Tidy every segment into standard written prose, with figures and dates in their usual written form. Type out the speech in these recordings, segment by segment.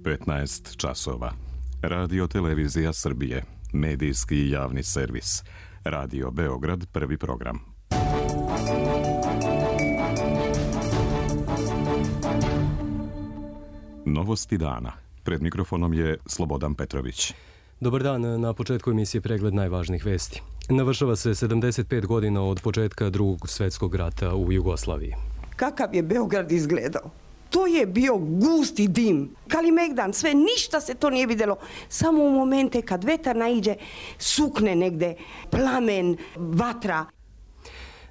15 časova. Radio Televizija Srbije. Medijski javni servis. Radio Beograd, prvi program. Novosti dana. Pred mikrofonom je Slobodan Petrović. Dobar dan, na početku emisije pregled najvažnijih vesti. Navršava se 75 godina od početka Drugog svjetskog rata u Jugoslaviji. Kakav je Beograd izgledao? To je bio gusti dim. Kalimegdan, sve, ništa se to nije vidjelo. Samo u momente kad vetar naiđe, sukne negde, plamen, vatra.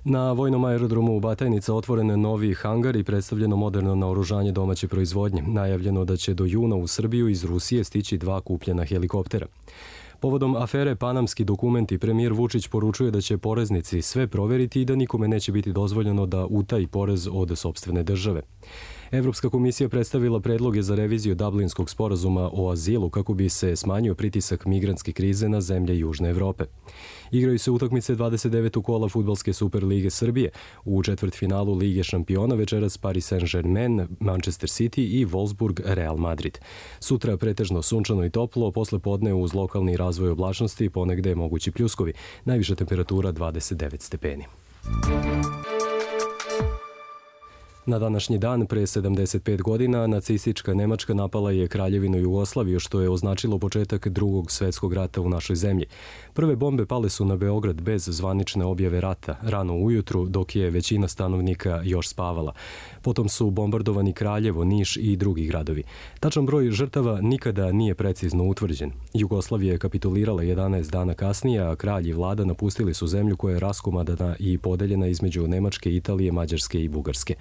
Na vojnom aerodromu u Batajnica otvoren novi hangar i predstavljeno moderno naoružanje domaće proizvodnje. Najavljeno da će do juna u Srbiju iz Rusije stići 2 kupljena helikoptera. Povodom afere Panamski dokumenti, premijer Vučić poručuje da će poreznici sve proveriti i da nikome neće biti dozvoljeno da utaji porez od sopstvene države. Evropska komisija predstavila predloge za reviziju Dublinskog sporazuma o azilu kako bi se smanjio pritisak migrantske krize na zemlje Južne Evrope. Igraju se utakmice 29. kola Fudbalske Super lige Srbije. U četvrtfinalu Lige šampiona večeras Paris Saint-Germain, Manchester City i Wolfsburg Real Madrid. Sutra pretežno sunčano i toplo, posle podne uz lokalni razvoj oblačnosti ponegde mogući pljuskovi. Najviša temperatura 29 stepeni. Na današnji dan, pre 75 godina, nacistička Nemačka napala je Kraljevinu Jugoslaviju, što je označilo početak Drugog svjetskog rata u našoj zemlji. Prve bombe pale su na Beograd bez zvanične objave rata, rano ujutru, dok je većina stanovnika još spavala. Potom su bombardovani Kraljevo, Niš i drugi gradovi. Tačan broj žrtava nikada nije precizno utvrđen. Jugoslavija je kapitulirala 11 dana kasnije, a kralj i vlada napustili su zemlju koja je raskomadana i podeljena između Nemačke, Italije, Mađarske i Bugarske.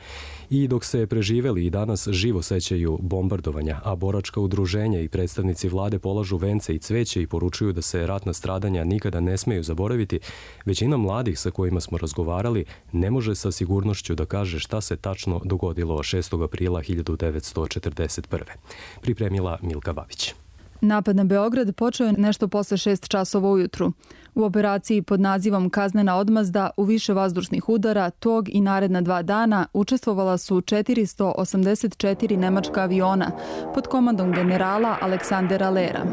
I dok se preživeli i danas živo sećaju bombardovanja, a boračka udruženja i predstavnici vlade polažu vence i cveće i poručuju da se ratna stradanja nikada ne smeju zaboraviti, većina mladih sa kojima smo razgovarali ne može sa sigurnošću da kaže šta se tačno dogodilo 6. aprila 1941. Pripremila Milka Babić. Napad na Beograd počeo je nešto posle 6 časova ujutru. U operaciji pod nazivom Kaznena odmazda u više vazdušnih udara tog i naredna 2 dana učestvovala su 484 nemačka aviona pod komandom generala Aleksandera Lera.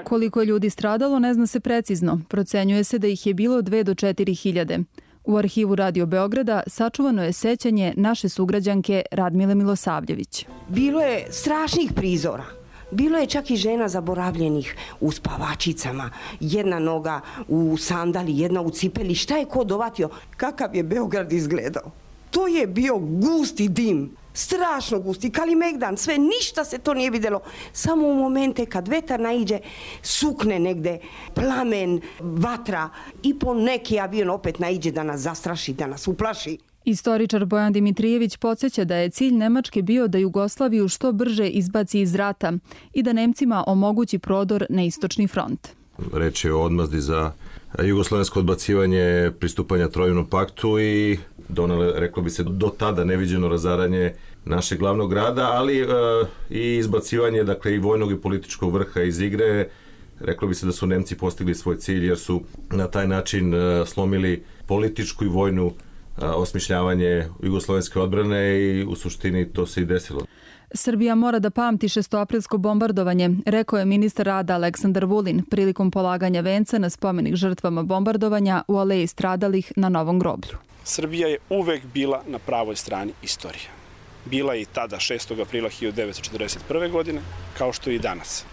Koliko je ljudi stradalo ne zna se precizno. Procenjuje se da ih je bilo 2 do 4 hiljade. U arhivu Radio Beograda sačuvano je sećanje naše sugrađanke Radmile Milosavljević. Bilo je strašnih prizora. Bilo je čak i žena zaboravljenih u spavačicama, jedna noga u sandali, jedna u cipeli. Šta je ko dovatio? Kakav je Beograd izgledao? To je bio gusti dim, strašno gusti, Kalimegdan, sve, ništa se to nije vidjelo. Samo u momente kad vetar naiđe, sukne negde, plamen, vatra i po neki avion opet naiđe da nas zastraši, da nas uplaši. Istoričar Bojan Dimitrijević podsjeća da je cilj Nemačke bio da Jugoslaviju što brže izbaci iz rata i da Nemcima omogući prodor na istočni front. Reč je o odmazdi za jugoslovensko odbacivanje pristupanja Trojnom paktu i donele, reklo bi se, do tada neviđeno razaranje našeg glavnog grada, ali i izbacivanje, dakle, i vojnog i političkog vrha iz igre. Reklo bi se da su Nemci postigli svoj cilj jer su na taj način slomili političku i vojnu osmišljavanje jugoslovenske odbrane i u suštini to se i desilo. Srbija mora da pamti 6-aprilsko bombardovanje, rekao je ministar rada Aleksandar Vulin prilikom polaganja venca na spomenik žrtvama bombardovanja u aleji stradalih na Novom groblju. Srbija je uvek bila na pravoj strani istorije. Bila je i tada 6. aprila 1941. godine, kao što i danas.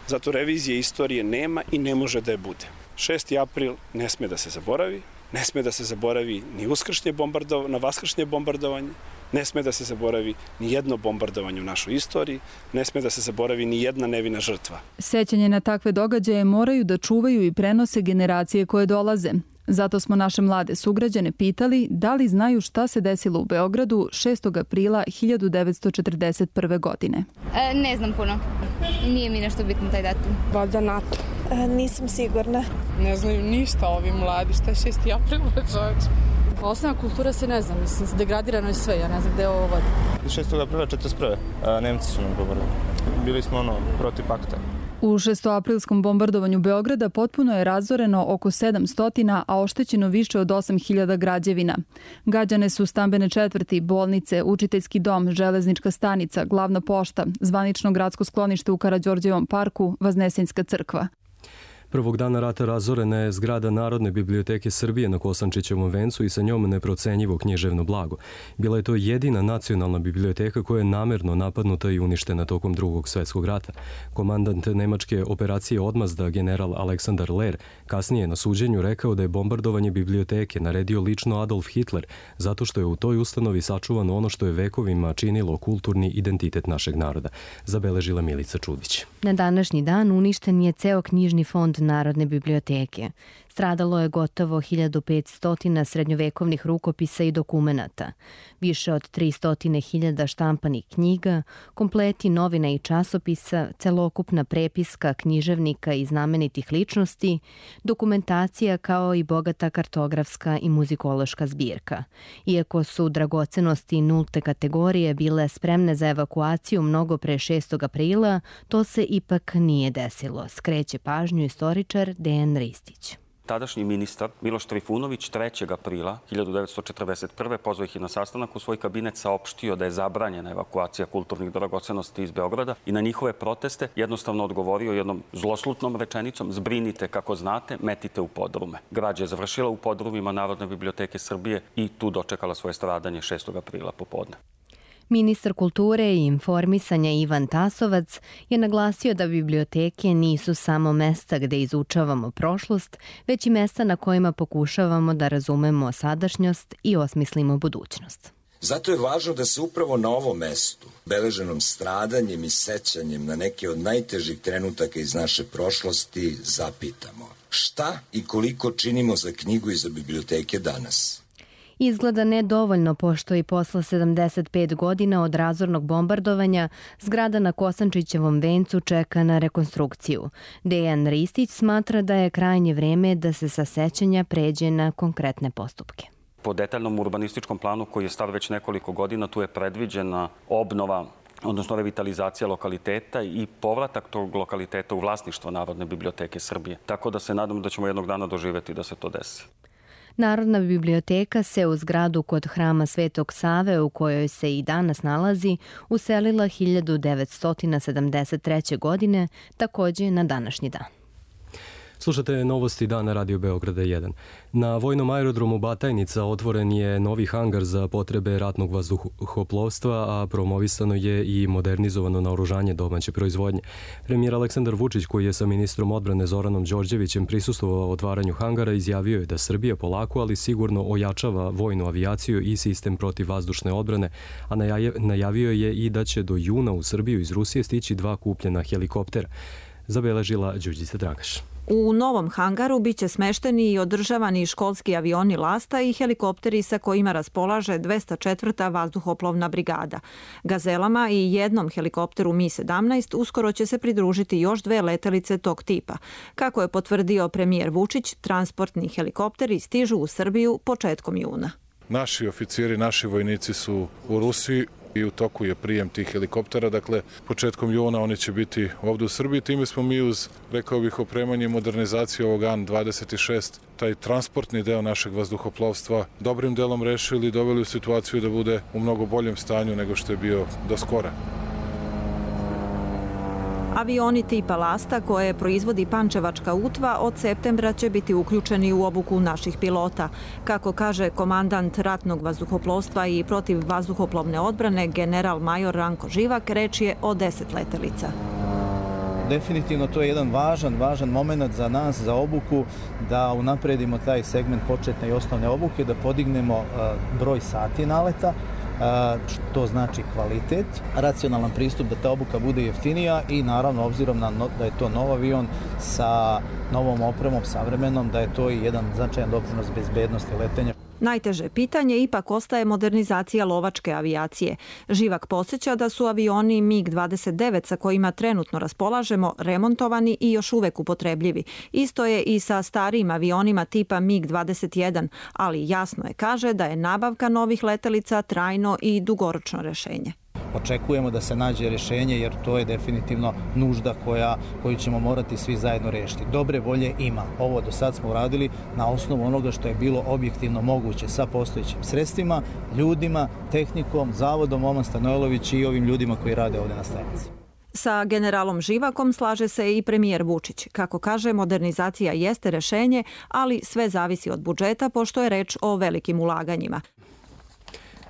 Zato revizije istorije nema i ne može da je bude. 6. april ne sme da se zaboravi, ne sme da se zaboravi ni na vaskršnje bombardovanje, ne sme da se zaboravi ni jedno bombardovanje u našoj istoriji, ne sme da se zaboravi ni jedna nevina žrtva. Sećanje na takve događaje moraju da čuvaju i prenose generacije koje dolaze. Zato smo naše mlade sugrađane pitali da li znaju šta se desilo u Beogradu 6. aprila 1941. godine. Ne znam puno. Nije mi nešto bitno taj datum. Valjda NATO. Nisam sigurna. Ne znaju ništa ovi mladi. Šta je 6. april, čovječ? Osnovna kultura se ne znam. Mislim, degradirano je sve. Ja ne znam gde je ovo vodi. 6. aprila 1941. Nemci su nam govorili. Bili smo protiv pakta. U šestoaprilskom bombardovanju Beograda potpuno je razoreno oko 700, a oštećeno više od 8.000 građevina. Gađane su stambene četvrti, bolnice, učiteljski dom, železnička stanica, glavna pošta, zvanično gradsko sklonište u Karađorđevom parku, Vaznesenjska crkva. Prvog dana rata razorena je zgrada Narodne biblioteke Srbije na Kosančićevom vencu i sa njom neprocenjivo književno blago. Bila je to jedina nacionalna biblioteka koja je namerno napadnuta i uništena tokom Drugog svetskog rata. Komandant nemačke operacije Odmazda, general Aleksandar Ler, kasnije na suđenju rekao da je bombardovanje biblioteke naredio lično Adolf Hitler, zato što je u toj ustanovi sačuvano ono što je vekovima činilo kulturni identitet našeg naroda, zabeležila Milica Čudić. Na današnji dan uništen je ceo knjižni fond Narodne biblioteke. Stradalo je gotovo 1500 srednjovekovnih rukopisa i dokumenata, više od 300.000 štampanih knjiga, kompleti novina i časopisa, celokupna prepiska književnika i znamenitih ličnosti, dokumentacija kao i bogata kartografska i muzikološka zbirka. Iako su dragocenosti nulte kategorije bile spremne za evakuaciju mnogo pre 6. aprila, to se ipak nije desilo, skreće pažnju istoričar Dejan Ristić. Tadašnji ministar Miloš Trifunović 3. aprila 1941. pozvao ih na sastanak u svoj kabinet, saopštio da je zabranjena evakuacija kulturnih dragocenosti iz Beograda i na njihove proteste jednostavno odgovorio jednom zloslutnom rečenicom: zbrinite kako znate, metite u podrume. Građa je završila u podrumima Narodne biblioteke Srbije i tu dočekala svoje stradanje 6. aprila popodne. Ministar kulture i informisanja Ivan Tasovac je naglasio da biblioteke nisu samo mesta gde izučavamo prošlost, već i mesta na kojima pokušavamo da razumemo sadašnjost i osmislimo budućnost. Zato je važno da se upravo na ovom mestu, beleženom stradanjem i sećanjem na neke od najtežih trenutaka iz naše prošlosti, zapitamo šta i koliko činimo za knjigu i za biblioteke danas. Izgleda nedovoljno, pošto i posle 75 godina od razornog bombardovanja zgrada na Kosančićevom vencu čeka na rekonstrukciju. Dejan Ristić smatra da je krajnje vreme da se sa sećanja pređe na konkretne postupke. Po detaljnom urbanističkom planu koji je star već nekoliko godina, tu je predviđena obnova, odnosno revitalizacija lokaliteta i povratak tog lokaliteta u vlasništvo Narodne biblioteke Srbije. Tako da se nadam da ćemo jednog dana doživeti da se to desi. Narodna biblioteka se u zgradu kod hrama Svetog Save, u kojoj se i danas nalazi, uselila 1973. godine, takođe na današnji dan. Slušate novosti dana Radio Beograda 1. Na vojnom aerodromu Batajnica otvoren je novi hangar za potrebe ratnog vazduhoplovstva, a promovisano je i modernizovano naoružanje domaće proizvodnje. Premijer Aleksandar Vučić, koji je sa ministrom odbrane Zoranom Đorđevićem prisustvovao otvaranju hangara, izjavio je da Srbija polako, ali sigurno ojačava vojnu avijaciju i sistem protivvazdušne odbrane, a najavio je i da će do juna u Srbiju iz Rusije stići 2 kupljena helikoptera, zabeležila Đurđica Dragaš. U novom hangaru biće smešteni i održavani školski avioni Lasta i helikopteri sa kojima raspolaže 204. vazduhoplovna brigada. Gazelama i jednom helikopteru Mi-17 uskoro će se pridružiti još 2 letelice tog tipa. Kako je potvrdio premijer Vučić, transportni helikopteri stižu u Srbiju početkom juna. Naši oficiri, naši vojnici su u Rusiji i u toku je prijem tih helikoptera, dakle početkom juna oni će biti ovdje u Srbiji. Time smo mi uz, rekao bih, opremanje i modernizaciju ovog An-26, taj transportni deo našeg vazduhoplovstva dobrim delom rešili i doveli u situaciju da bude u mnogo boljem stanju nego što je bio do skora. Avioni tipa Lasta, koje proizvodi Pančevačka UTVA, od septembra će biti uključeni u obuku naših pilota. Kako kaže komandant ratnog vazduhoplovstva i protivvazduhoplovne odbrane, general major Ranko Živak, reč je o 10 letelica. Definitivno to je jedan važan moment za nas, za obuku, da unapredimo taj segment početne i osnovne obuke, da podignemo broj sati naleta, što znači kvalitet, racionalan pristup da ta obuka bude jeftinija i naravno obzirom da je to nov avion sa novom opremom, savremenom, da je to i jedan značajan doprinos bezbednosti letenja. Najteže pitanje ipak ostaje modernizacija lovačke avijacije. Živak podsjeća da su avioni MiG-29 sa kojima trenutno raspolažemo remontovani i još uvek upotrebljivi. Isto je i sa starijim avionima tipa MiG-21, ali jasno je, kaže, da je nabavka novih letelica trajno i dugoročno rešenje. očekujemo da se nađe rješenje, jer to je definitivno nužda koju ćemo morati svi zajedno riješiti. Dobre volje ima. Ovo do sad smo uradili na osnovu onoga što je bilo objektivno moguće sa postojećim sredstvima, ljudima, tehnikom, zavodom Oman Stanojlović i ovim ljudima koji rade ovdje na stanici. Sa generalom Živakom slaže se i premijer Vučić. Kako kaže, modernizacija jeste rešenje, ali sve zavisi od budžeta, pošto je reč o velikim ulaganjima.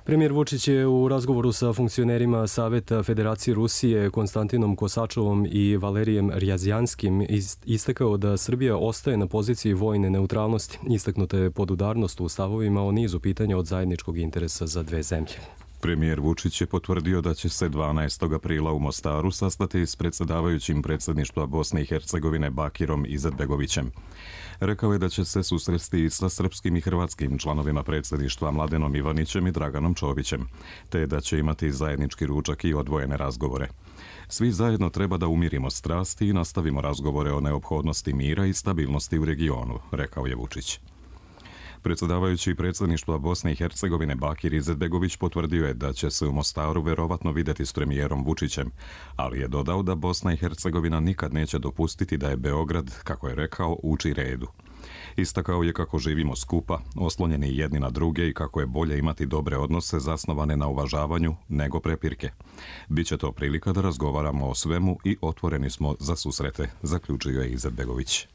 Premijer Vučić je u razgovoru sa funkcionerima Saveta Federacije Rusije Konstantinom Kosačovom i Valerijem Rjazjanskim istakao da Srbija ostaje na poziciji vojne neutralnosti. Istaknuta je podudarnost u stavovima o nizu pitanja od zajedničkog interesa za dve zemlje. Premijer Vučić je potvrdio da će se 12. aprila u Mostaru sastati s predsjedavajućim predsjedništva Bosne i Hercegovine Bakirom Izetbegovićem. Rekao je da će se susresti sa srpskim i hrvatskim članovima predsjedništva Mladenom Ivanićem i Draganom Čovićem, te da će imati zajednički ručak i odvojene razgovore. Svi zajedno treba da umirimo strasti i nastavimo razgovore o neophodnosti mira i stabilnosti u regionu, rekao je Vučić. Predsjedavajući predsjedništva Bosne i Hercegovine Bakir Izetbegović potvrdio je da će se u Mostaru verovatno vidjeti s premijerom Vučićem, ali je dodao da Bosna i Hercegovina nikad neće dopustiti da je Beograd, kako je rekao, uči redu. Istakao je kako živimo skupa, oslonjeni jedni na druge i kako je bolje imati dobre odnose zasnovane na uvažavanju nego prepirke. Biće to prilika da razgovaramo o svemu i otvoreni smo za susrete, zaključio je Izetbegović.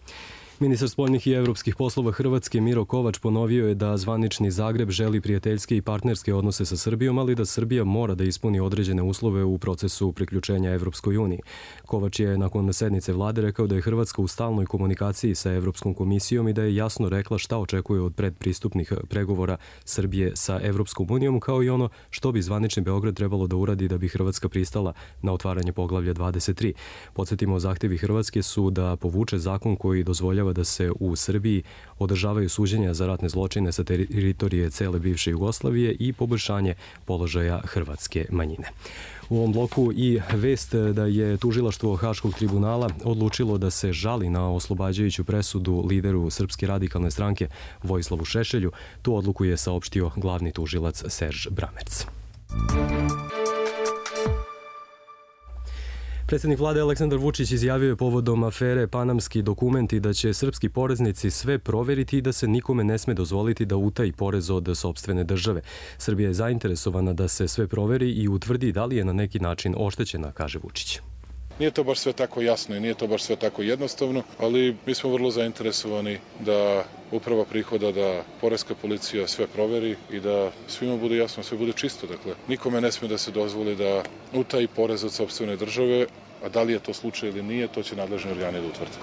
Ministar spoljnih i evropskih poslova Hrvatske Miro Kovač ponovio je da zvanični Zagreb želi prijateljske i partnerske odnose sa Srbijom, ali da Srbija mora da ispuni određene uslove u procesu priključenja Evropskoj uniji. Kovač je nakon sednice vlade rekao da je Hrvatska u stalnoj komunikaciji sa Evropskom komisijom i da je jasno rekla šta očekuje od predpristupnih pregovora Srbije sa Evropskom unijom, kao i ono što bi zvanični Beograd trebalo da uradi da bi Hrvatska pristala na otvaranje poglavlja 23. Podsjetimo, zahtjevi Hrvatske su da povuče zakon koji dozvoljava da se u Srbiji održavaju suđenja za ratne zločine sa teritorije cele bivše Jugoslavije i poboljšanje položaja hrvatske manjine. U ovom bloku i vest da je tužilaštvo Haškog tribunala odlučilo da se žali na oslobađajuću presudu lideru Srpske radikalne stranke Vojislavu Šešelju. Tu odluku je saopštio glavni tužilac Serž Bramerc. Predsjednik vlade Aleksandar Vučić izjavio je povodom afere Panamski dokumenti da će srpski poreznici sve proveriti i da se nikome ne sme dozvoliti da utaji porez od sopstvene države. Srbija je zainteresovana da se sve proveri i utvrdi da li je na neki način oštećena, kaže Vučić. Nije to baš sve tako jasno i nije to baš sve tako jednostavno, ali mi smo vrlo zainteresovani da uprava prihoda, da poreska policija sve proveri i da svima bude jasno, sve bude čisto. Dakle, nikome ne sme da se dozvoli da utaji porez od sopstvene države, a da li je to slučaj ili nije, to će nadležni organi da utvrde.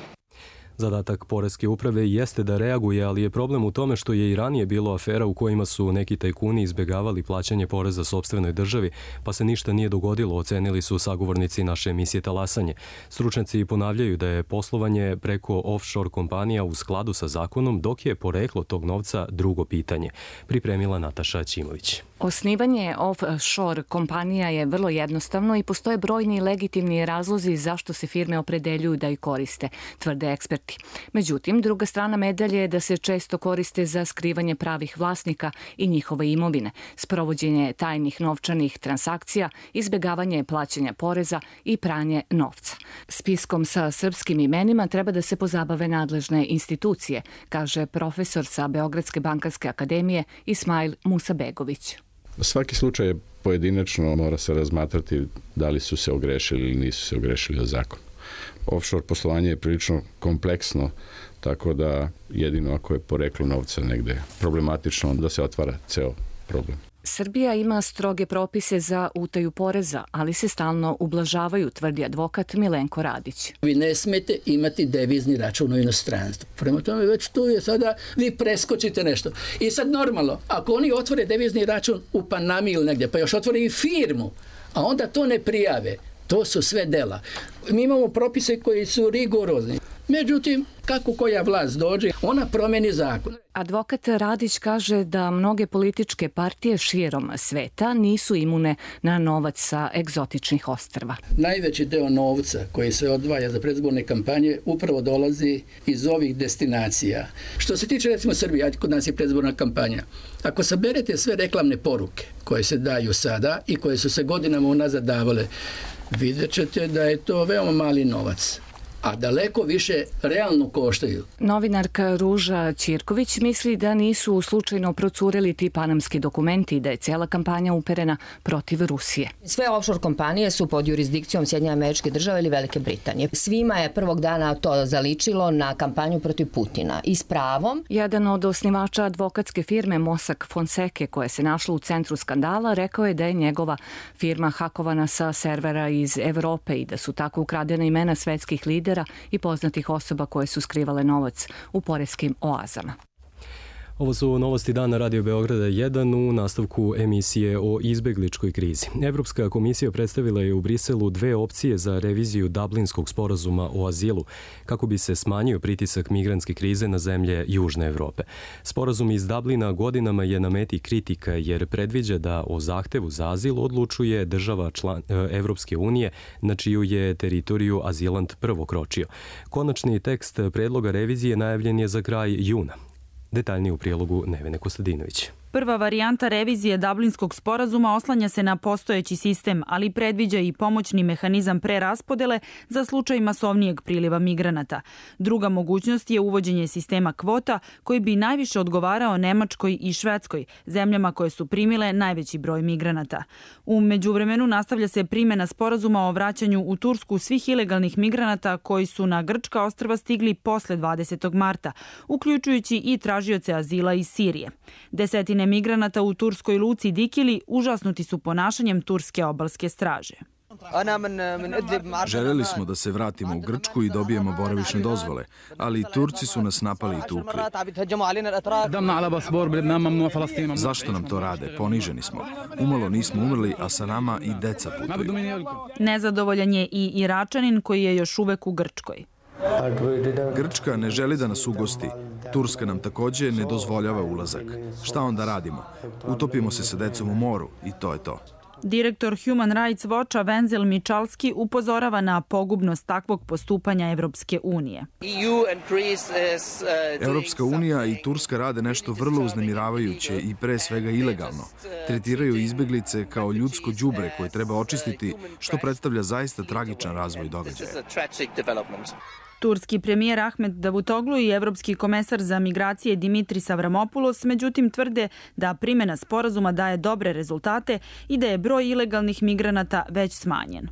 Zadatak poreske uprave jeste da reaguje, ali je problem u tome što je i ranije bilo afera u kojima su neki tajkuni izbegavali plaćanje poreza sopstvenoj državi, pa se ništa nije dogodilo, ocenili su sagovornici naše emisije Talasanje. Stručnjaci ponavljaju da je poslovanje preko offshore kompanija u skladu sa zakonom, dok je poreklo tog novca drugo pitanje. Pripremila Nataša Ćimović. Osnivanje offshore kompanija je vrlo jednostavno i postoje brojni legitimni razlozi zašto se firme opredeljuju da ih koriste, tvrde eksperti. Međutim, druga strana medalje je da se često koriste za skrivanje pravih vlasnika i njihove imovine, sprovođenje tajnih novčanih transakcija, izbegavanje plaćanja poreza i pranje novca. Spiskom sa srpskim imenima treba da se pozabave nadležne institucije, kaže profesor sa Beogradske bankarske akademije Ismail Musabegović. Svaki slučaj je pojedinačno, mora se razmatrati da li su se ogrešili ili nisu se ogrešili o zakon. Offshore poslovanje je prilično kompleksno, tako da jedino ako je poreklo novca negde problematično, da se otvara ceo problem. Srbija ima stroge propise za utaju poreza, ali se stalno ublažavaju, tvrdi advokat Milenko Radić. Vi ne smete imati devizni račun u inostranstvu. Prema tome već tu je sada, vi preskočite nešto. I sad normalno, ako oni otvore devizni račun u Panami ili negdje, pa još otvore i firmu, a onda to ne prijave, to su sve dela. Mi imamo propise koji su rigorozni. Međutim, kako koja vlast dođe, ona promeni zakon. Advokat Radić kaže da mnoge političke partije širom sveta nisu imune na novac sa egzotičnih ostrva. Najveći deo novca koji se odvaja za predizborne kampanje upravo dolazi iz ovih destinacija. Što se tiče recimo Srbije, kod nas je predizborna kampanja. Ako saberete sve reklamne poruke koje se daju sada i koje su se godinama unazad davale, vidjet ćete da je to veoma mali novac, a daleko više realno koštaju. Novinarka Ruža Ćirković misli da nisu slučajno procureli ti panamski dokumenti i da je cijela kampanja uperena protiv Rusije. Sve offshore kompanije su pod jurisdikcijom Sjedinjenih Američkih Država ili Velike Britanije. Svima je prvog dana to zaličilo na kampanju protiv Putina i s pravom. Jedan od osnivača advokatske firme Mossack Fonseca, koja se našla u centru skandala, rekao je da je njegova firma hakovana sa servera iz Evrope i da su tako ukradena imena svetskih lidera i poznatih osoba koje su skrivale novac u poreskim oazama. Ovo su novosti dana Radio Beograda 1 u nastavku emisije o izbegličkoj krizi. Evropska komisija predstavila je u Briselu 2 opcije za reviziju Dublinskog sporazuma o azilu, kako bi se smanjio pritisak migrantske krize na zemlje Južne Evrope. Sporazum iz Dublina godinama je na meti kritika jer predviđa da o zahtevu za azil odlučuje država Evropske unije na čiju je teritoriju azilant prvo kročio. Konačni tekst predloga revizije najavljen je za kraj juna. Detaljnije u prilogu Nevene Kostadinović. Prva varijanta revizije Dublinskog sporazuma oslanja se na postojeći sistem, ali predviđa i pomoćni mehanizam preraspodele za slučaj masovnijeg priliva migranata. Druga mogućnost je uvođenje sistema kvota koji bi najviše odgovarao Nemačkoj i Švedskoj, zemljama koje su primile najveći broj migranata. U međuvremenu nastavlja se primjena sporazuma o vraćanju u Tursku svih ilegalnih migranata koji su na grčka ostrva stigli posle 20. marta, uključujući i tražioce azila iz Sirije. Desetine migranata u turskoj luci Dikili užasnuti su ponašanjem turske obalske straže. Željeli smo da se vratimo u Grčku i dobijemo boravišne dozvole, ali Turci su nas napali i tukli. Zašto nam to rade? Poniženi smo. Umalo nismo umrli, a sa nama i deca putuju. Nezadovoljan je i Iračanin koji je još uvek u Grčkoj. Grčka ne želi da nas ugosti. Turska nam takođe ne dozvoljava ulazak. Šta onda radimo? Utopimo se sa decom u moru i to je to. Direktor Human Rights Watcha Wenzel Michalski upozorava na pogubnost takvog postupanja Evropske unije. Evropska unija i Turska rade nešto vrlo uznemiravajuće i pre svega ilegalno. Tretiraju izbeglice kao ljudsko đubre koje treba očistiti, što predstavlja zaista tragičan razvoj događaja. Turski premijer Ahmet Davutoglu i evropski komesar za migracije Dimitris Avramopoulos međutim tvrde da primjena sporazuma daje dobre rezultate i da je broj ilegalnih migranata već smanjen.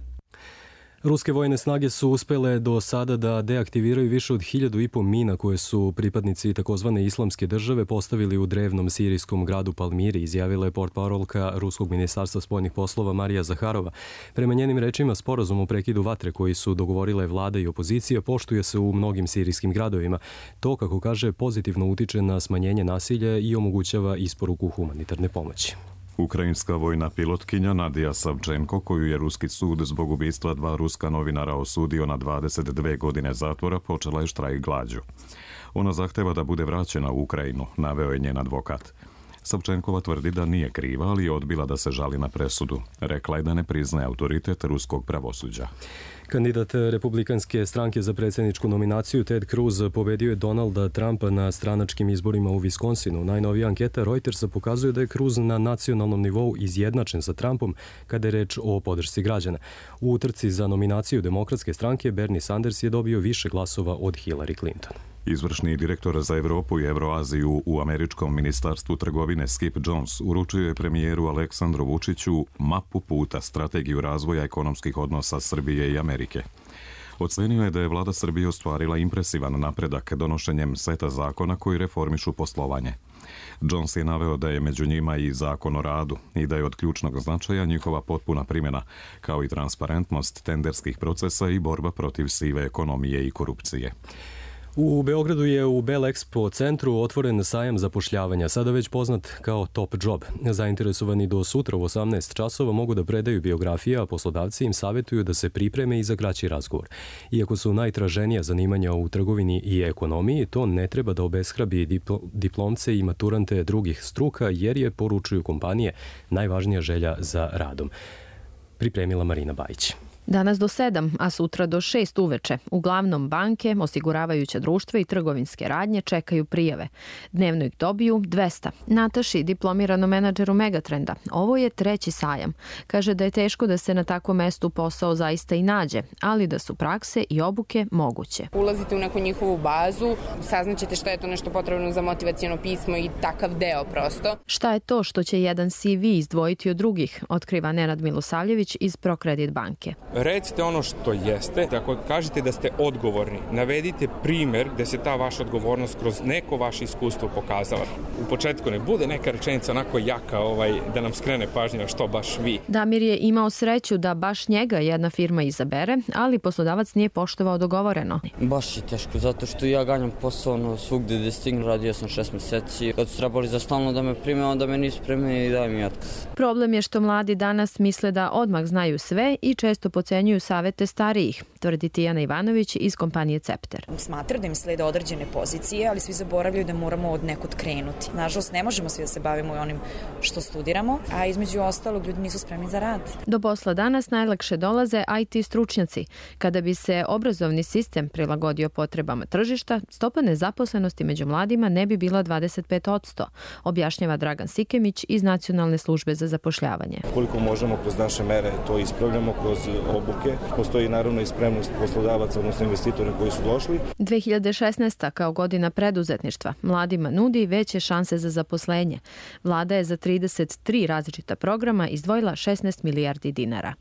Ruske vojne snage su uspele do sada da deaktiviraju više od 1.500 mina koje su pripadnici takozvane islamske države postavili u drevnom sirijskom gradu Palmiri, izjavila je portparolka Ruskog ministarstva spoljnih poslova Marija Zaharova. Prema njenim rečima, sporazum o prekidu vatre koji su dogovorile vlada i opozicija poštuje se u mnogim sirijskim gradovima. To, kako kaže, pozitivno utiče na smanjenje nasilja i omogućava isporuku humanitarne pomoći. Ukrajinska vojna pilotkinja Nadija Savčenko, koju je ruski sud zbog ubistva 2 ruska novinara osudio na 22 godine zatvora, počela je štrajk glađu. Ona zahteva da bude vraćena u Ukrajinu, naveo je njen advokat. Savčenkova tvrdi da nije kriva, ali je odbila da se žali na presudu. Rekla je da ne priznaje autoritet ruskog pravosuđa. Kandidat republikanske stranke za predsjedničku nominaciju Ted Cruz pobedio je Donalda Trumpa na stranačkim izborima u Wisconsinu. Najnovija anketa Reutersa pokazuje da je Cruz na nacionalnom nivou izjednačen sa Trumpom kada je reč o podršci građana. U utrci za nominaciju demokratske stranke Bernie Sanders je dobio više glasova od Hillary Clinton. Izvršni direktor za Evropu i Evroaziju u američkom ministarstvu trgovine Skip Jones uručio je premijeru Aleksandru Vučiću mapu puta, strategiju razvoja ekonomskih odnosa Srbije i Amerike. Ocenio je da je vlada Srbije ostvarila impresivan napredak donošenjem seta zakona koji reformišu poslovanje. Jones je naveo da je među njima i zakon o radu i da je od ključnog značaja njihova potpuna primjena, kao i transparentnost tenderskih procesa i borba protiv sive ekonomije i korupcije. U Beogradu je u Bell Expo centru otvoren sajam zapošljavanja, sada već poznat kao Top Job. Zainteresovani do sutra u 18 časova mogu da predaju biografije, a poslodavci im savjetuju da se pripreme i za kraći razgovor. Iako su najtraženija zanimanja u trgovini i ekonomiji, to ne treba da obeshrabi diplomce i maturante drugih struka, jer je, poručuju kompanije, najvažnija želja za radom. Pripremila Marina Bajić. Danas do 7, a sutra do 6 uveče. Uglavnom banke, osiguravajuća društva i trgovinske radnje čekaju prijave. Dnevno ih dobiju 200. Nataši, diplomiranom menadžeru Megatrenda, ovo je 3. sajam. Kaže da je teško da se na takvom mestu posao zaista i nađe, ali da su prakse i obuke moguće. Ulazite u neku njihovu bazu, saznaćete šta je to nešto potrebno za motivaciono pismo i takav deo prosto. Šta je to što će jedan CV izdvojiti od drugih, otkriva Nenad Milosavljević iz ProCredit banke. Recite ono što jeste, ako kažete da ste odgovorni, navedite primer gde se ta vaša odgovornost kroz neko vaše iskustvo pokazala. U početku ne bude neka rečenica onako jaka da nam skrene pažnju što baš vi. Damir je imao sreću da baš njega jedna firma izabere, ali poslodavac nije poštovao dogovoreno. Baš je teško, zato što ja ganjam posao svugde gde stignu, radio sam 6 meseci. Kad su trebali za stalno da me prime, onda me nisu primili i daj mi otkaz. Problem je što mladi danas misle da odmah znaju sve i često podcenjuju savete starijih, tvrdi Tijana Ivanović iz kompanije Cepter. Smatra da im slede određene pozicije, ali svi zaboravljaju da moramo od nekud krenuti. Nažalost, ne možemo svi da se bavimo i onim što studiramo, a između ostalog ljudi nisu spremni za rad. Do posla danas najlakše dolaze IT stručnjaci. Kada bi se obrazovni sistem prilagodio potrebama tržišta, stopa nezaposlenosti među mladima ne bi bila 25%, objašnjava Dragan Sikemić iz Nacionalne službe za zapošljavanje. Koliko možemo kroz naše mere to ispravljamo, kroz obuke. Postoji naravno i spremnost poslodavaca, odnosno investitora koji su došli. 2016. kao godina preduzetništva mladima nudi veće šanse za zaposlenje. Vlada je za 33 različita programa izdvojila 16 milijardi dinara.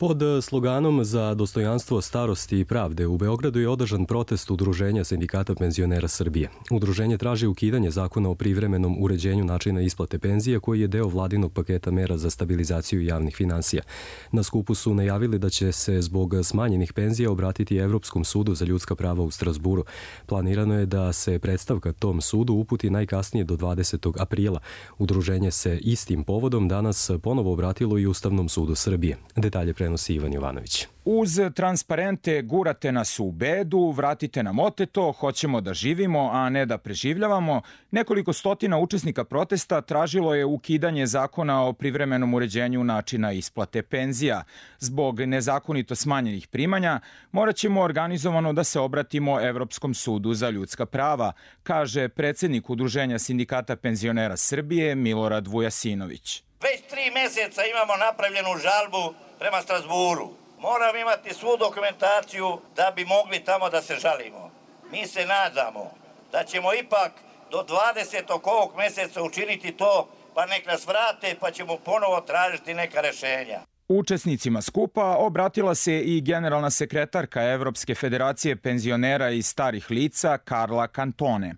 Pod sloganom za dostojanstvo starosti i pravde u Beogradu je održan protest Udruženja sindikata penzionera Srbije. Udruženje traži ukidanje zakona o privremenom uređenju načina isplate penzija koji je deo vladinog paketa mera za stabilizaciju javnih finansija. Na skupu su najavili da će se zbog smanjenih penzija obratiti Evropskom sudu za ljudska prava u Strasburu. Planirano je da se predstavka tom sudu uputi najkasnije do 20. aprila. Udruženje se istim povodom danas ponovo obratilo i Ustavnom sudu Srbije. Detalje prenosi Ivan Jovanović. Uz transparente gurate nas u bedu, vratite nam oteto, hoćemo da živimo, a ne da preživljavamo, nekoliko stotina učesnika protesta tražilo je ukidanje zakona o privremenom uređenju načina isplate penzija. Zbog nezakonito smanjenih primanja morat ćemo organizovano da se obratimo Evropskom sudu za ljudska prava, kaže predsjednik Udruženja sindikata penzionera Srbije Milorad Vujasinović. Već 3 meseca imamo napravljenu žalbu prema Strasburu. Moram imati svu dokumentaciju da bi mogli tamo da se žalimo. Mi se nadamo da ćemo ipak do 20. ovog meseca učiniti to, pa nek nas vrate, pa ćemo ponovo tražiti neka rešenja. Učesnicima skupa obratila se i generalna sekretarka Evropske federacije penzionera i starih lica Karla Cantone.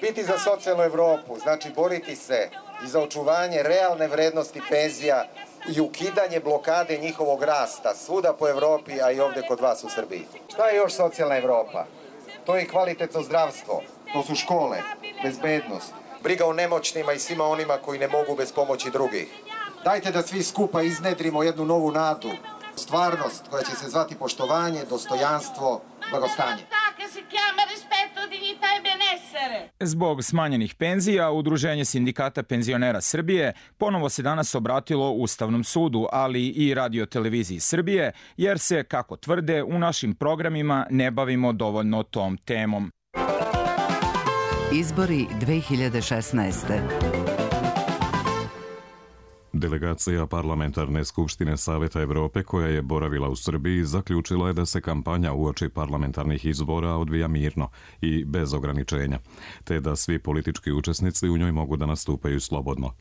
Biti za socijalnu Evropu znači boriti se i za očuvanje realne vrednosti penzija i ukidanje blokade njihovog rasta svuda po Evropi, a i ovde kod vas u Srbiji. Šta je još socijalna Evropa? To je kvalitetno zdravstvo, to su škole, bezbednost, briga o nemoćnima i svima onima koji ne mogu bez pomoći drugih. Dajte da svi skupa iznedrimo jednu novu nadu, stvarnost koja će se zvati poštovanje, dostojanstvo, blagostanje. Zbog smanjenih penzija, Udruženje sindikata penzionera Srbije ponovo se danas obratilo Ustavnom sudu, ali i Radio-televiziji Srbije, jer se, kako tvrde, u našim programima ne bavimo dovoljno tom temom. Izbori 2016. Delegacija Parlamentarne skupštine Saveta Evrope koja je boravila u Srbiji zaključila je da se kampanja uoči parlamentarnih izbora odvija mirno i bez ograničenja, te da svi politički učesnici u njoj mogu da nastupaju slobodno.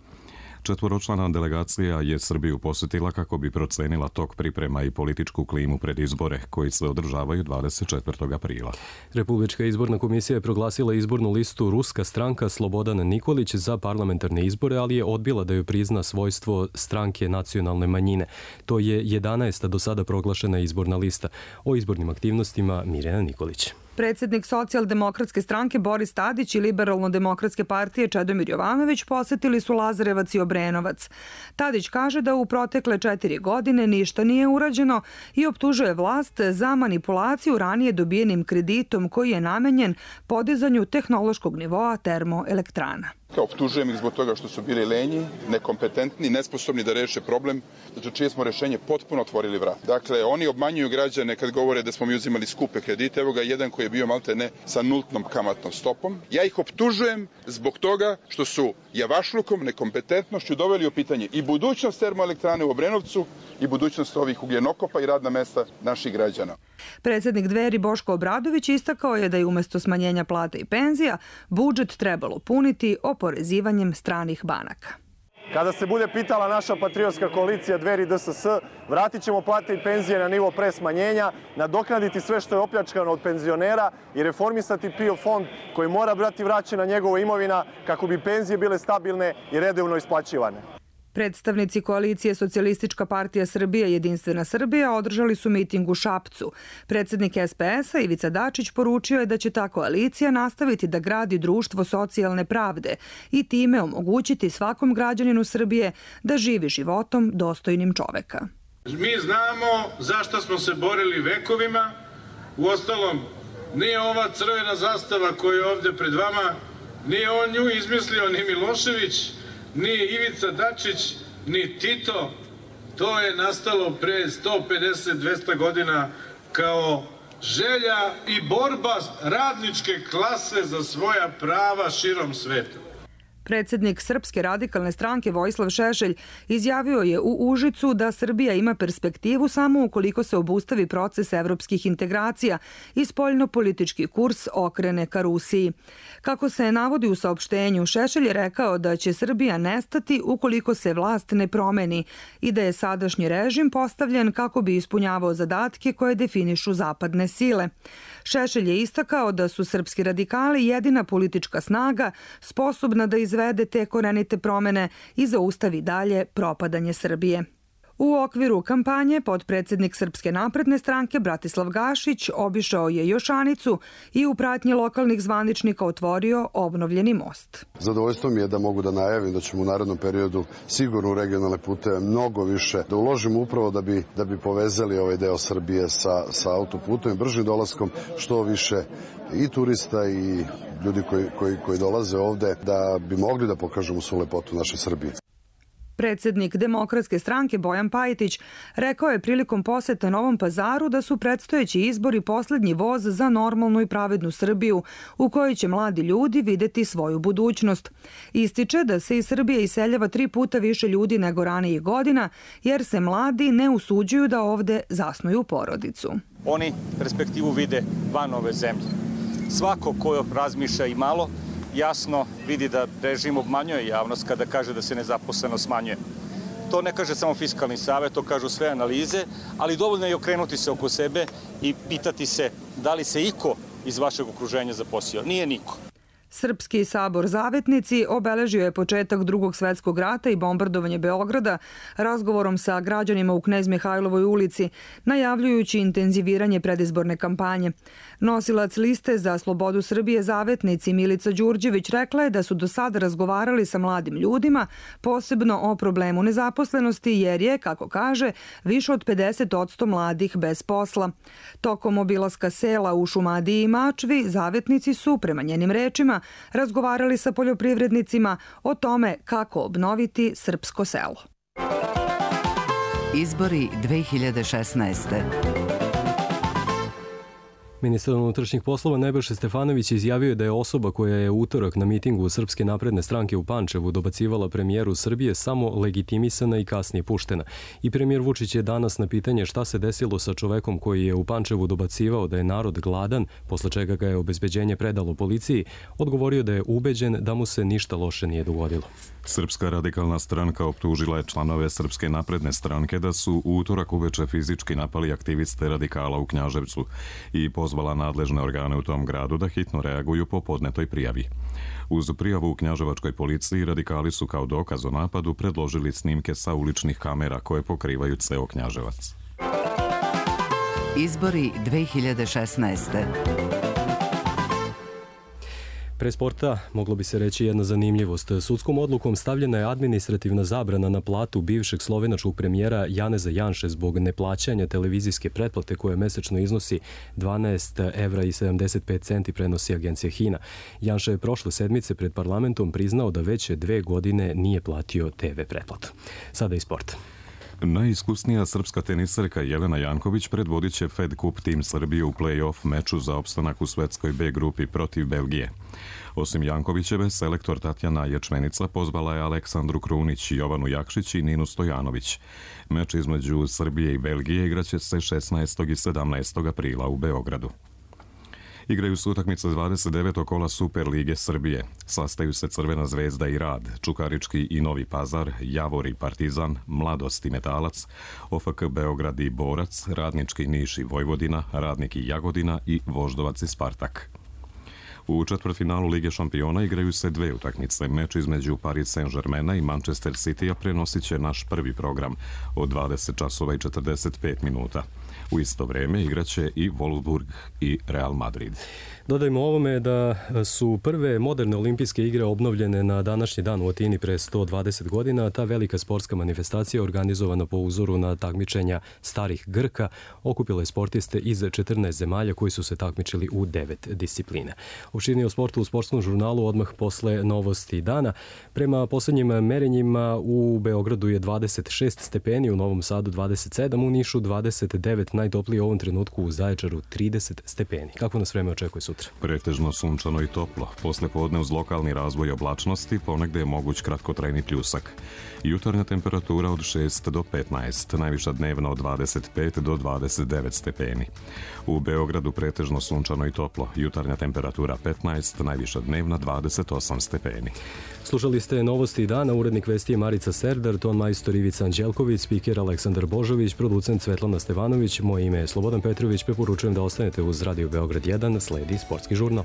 Četvoročlana delegacija je Srbiju posjetila kako bi procenila tok priprema i političku klimu pred izbore koji se održavaju 24. aprila. Republička izborna komisija je proglasila izbornu listu Ruska stranka Slobodan Nikolić za parlamentarne izbore, ali je odbila da joj prizna svojstvo stranke nacionalne manjine. To je 11. do sada proglašena izborna lista. O izbornim aktivnostima Mirjana Nikolić. Predsjednik Socijaldemokratske stranke Boris Tadić i Liberalno-demokratske partije Čedomir Jovanović posjetili su Lazarevac i Obrenovac. Tadić kaže da u protekle 4 godine ništa nije urađeno i optužuje vlast za manipulaciju ranije dobijenim kreditom koji je namenjen podizanju tehnološkog nivoa termoelektrana. Optužujem ih zbog toga što su bili lenji, nekompetentni, nesposobni da reše problem, za čije smo rešenje potpuno otvorili vrat. Dakle, oni obmanjuju građane kad govore da smo mi uzimali skupe kredite. Evo ga jedan koji je bio maltene sa nultnom kamatnom stopom. Ja ih optužujem zbog toga što su javašlukom, nekompetentnošću doveli u pitanje i budućnost termoelektrane u Obrenovcu i budućnost ovih ugljenokopa i radna mesta naših građana. Predsjednik Dveri Boško Obradović istakao je da je umjesto smanjenja plata i penzija budžet trebalo puniti oporezivanjem stranih banaka. Kada se bude pitala naša patriotska koalicija Dveri DSS, vratit ćemo plate i penzije na nivo pre smanjenja, nadoknaditi sve što je opljačkano od penzionera i reformisati PIO fond koji mora biti vraćena njegova imovina kako bi penzije bile stabilne i redovno isplaćivane. Predstavnici koalicije Socijalistička partija Srbije i Jedinstvena Srbija održali su miting u Šapcu. Predsjednik SPS-a Ivica Dačić poručio je da će ta koalicija nastaviti da gradi društvo socijalne pravde i time omogućiti svakom građaninu Srbije da živi životom dostojnim čoveka. Mi znamo zašto smo se borili vekovima. Uostalom, nije ova crvena zastava koja je ovdje pred vama, nije on nju izmislio ni Milošević, ni Ivica Dačić, ni Tito. To je nastalo pre 150-200 godina kao želja i borba radničke klase za svoja prava širom sveta. Predsjednik Srpske radikalne stranke Vojislav Šešelj izjavio je u Užicu da Srbija ima perspektivu samo ukoliko se obustavi proces evropskih integracija i spoljnopolitički kurs okrene ka Rusiji. Kako se navodi u saopštenju, Šešelj je rekao da će Srbija nestati ukoliko se vlast ne promeni i da je sadašnji režim postavljen kako bi ispunjavao zadatke koje definišu zapadne sile. Šešelj je istakao da su srpski radikali jedina politička snaga sposobna da izvede te korenite promene i zaustavi dalje propadanje Srbije. U okviru kampanje potpredsjednik Srpske napredne stranke Bratislav Gašić obišao je Jošanicu i u pratnji lokalnih zvaničnika otvorio obnovljeni most. Zadovoljstvo mi je da mogu da najavim da ćemo u narednom periodu sigurno u regionalne puteve mnogo više da uložimo upravo da bi povezali ovaj deo Srbije sa autoputom i bržim dolaskom što više i turista i ljudi koji dolaze ovde da bi mogli da pokažemo svu lepotu naše Srbije. Predsjednik Demokratske stranke Bojan Pajtić rekao je prilikom posete Novom Pazaru da su predstojeći izbori posljednji voz za normalnu i pravednu Srbiju u kojoj će mladi ljudi videti svoju budućnost. Ističe da se iz Srbije iseljava 3 puta više ljudi nego ranijih godina jer se mladi ne usuđuju da ovde zasnuju porodicu. Oni perspektivu vide van ove zemlje. Svako ko razmišlja i malo jasno vidi da režim obmanjuje javnost kada kaže da se nezaposlenost smanjuje. To ne kaže samo Fiskalni savet, to kažu sve analize, ali dovoljno je okrenuti se oko sebe i pitati se da li se iko iz vašeg okruženja zaposlio. Nije niko. Srpski sabor Zavetnici obeležio je početak Drugog svjetskog rata i bombardovanje Beograda razgovorom sa građanima u Knez Mihajlovoj ulici, najavljujući intenziviranje predizborne kampanje. Nosilac liste za slobodu Srbije Zavetnici Milica Đurđević rekla je da su do sada razgovarali sa mladim ljudima, posebno o problemu nezaposlenosti, jer je, kako kaže, više od 50% mladih bez posla. Tokom obilaska sela u Šumadiji i Mačvi, Zavetnici su, prema njenim rečima, razgovarali sa poljoprivrednicima o tome kako obnoviti srpsko selo. Izbori 2016. Ministar unutrašnjih poslova Nebojša Stefanović izjavio da je osoba koja je utorak na mitingu Srpske napredne stranke u Pančevu dobacivala premijeru Srbije samo legitimisana i kasnije puštena. I premijer Vučić je danas na pitanje šta se desilo sa čovekom koji je u Pančevu dobacivao da je narod gladan, posle čega ga je obezbeđenje predalo policiji, odgovorio da je ubeđen da mu se ništa loše nije dogodilo. Srpska radikalna stranka optužila je članove Srpske napredne stranke da su u utorak uveče fizički napali aktiviste radikala u Knjaževcu i pozvala nadležne organe u tom gradu da hitno reaguju po podnetoj prijavi. Uz prijavu u knjaževačkoj policiji radikali su kao dokaz o napadu predložili snimke sa uličnih kamera koje pokrivaju ceo Knjaževac. Izbori 2016. Pre sporta moglo bi se reći jedna zanimljivost. Sudskom odlukom stavljena je administrativna zabrana na platu bivšeg slovenačkog premijera Janeza Janše zbog neplaćanja televizijske pretplate koja mesečno iznosi 12,75 € prenosi agencija HINA. Janša je prošle sedmice pred parlamentom priznao da već 2 godine nije platio TV pretplatu. Sada i sport. Najiskusnija srpska tenisarka Jelena Janković predvodit će Fed Cup tim Srbije u play-off meču za opstanak u svetskoj B grupi protiv Belgije. Osim Jankovićeve, selektor Tatjana Ječmenica pozvala je Aleksandru Krunić, Jovanu Jakšić i Ninu Stojanović. Meč između Srbije i Belgije igraće se 16. i 17. aprila u Beogradu. Igraju se utakmice 29. kola Super lige Srbije. Sastaju se Crvena zvezda i Rad, Čukarički i Novi Pazar, Javor i Partizan, Mladost i Metalac, OFK Beograd i Borac, Radnički Niš i Vojvodina, Radnik i Jagodina i Voždovac i Spartak. U četvrtfinalu Lige šampiona igraju se 2 utakmice. Meč između Paris Saint-Germaina i Manchester City-a prenosit će naš prvi program od 20 časova i 45 minuta. U isto vreme igraće i Wolfsburg i Real Madrid. Dodajmo ovome da su prve moderne olimpijske igre obnovljene na današnji dan u Atini pre 120 godina. Ta velika sportska manifestacija organizovana po uzoru na takmičenja starih Grka okupila je sportiste iz 14 zemalja koji su se takmičili u 9 disciplina. Opširnije o sportu u sportskom žurnalu odmah posle novosti dana. Prema poslednjim merenjima u Beogradu je 26 stepeni, u Novom Sadu 27, u Nišu 29, najtoplije u ovom trenutku u Zaječaru 30 stepeni. Kako nas vreme očekuje sutra? Pretežno sunčano i toplo. Posle podne uz lokalni razvoj oblačnosti ponegde je moguć kratkotrajni pljusak. Jutarnja temperatura od 6 do 15, najviša dnevna od 25 do 29 stepeni. U Beogradu pretežno sunčano i toplo. Jutarnja temperatura 15, najviša dnevna 28 stepeni. Slušali ste novosti dana, urednik vesti je Marica Serdar, ton majstor Ivica Anđelković, spiker Aleksandar Božović, producent Svetlana Stevanović, moje ime je Slobodan Petrović, preporučujem da ostanete uz Radio Beograd 1, sledi sportski žurnal.